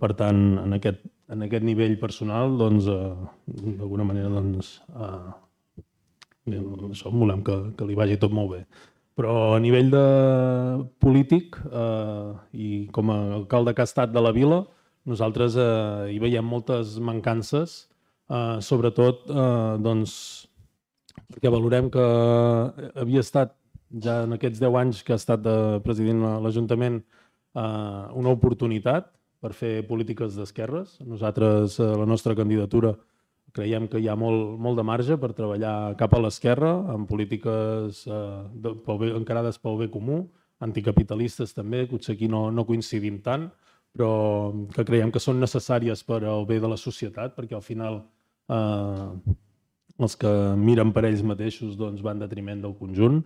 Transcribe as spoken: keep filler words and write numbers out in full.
Per tant, en aquest, en aquest nivell personal, doncs, eh, d'alguna manera, doncs, eh, això volem que, que li vagi tot molt bé. Però a nivell de polític eh, i com a alcalde que ha estat de la vila, nosaltres eh, hi veiem moltes mancances, eh, sobretot eh, doncs, perquè valorem que havia estat ja en aquests deu anys que ha estat de president a l'Ajuntament eh, una oportunitat per fer polítiques d'esquerres. Nosaltres, eh, la nostra candidatura, creiem que hi ha molt, molt de marge per treballar cap a l'esquerra, amb polítiques eh, de, pel bé, encarades pel bé comú, anticapitalistes també, potser aquí no, no coincidim tant, però que creiem que són necessàries per al bé de la societat, perquè al final eh, els que miren per ells mateixos doncs, van en detriment del conjunt.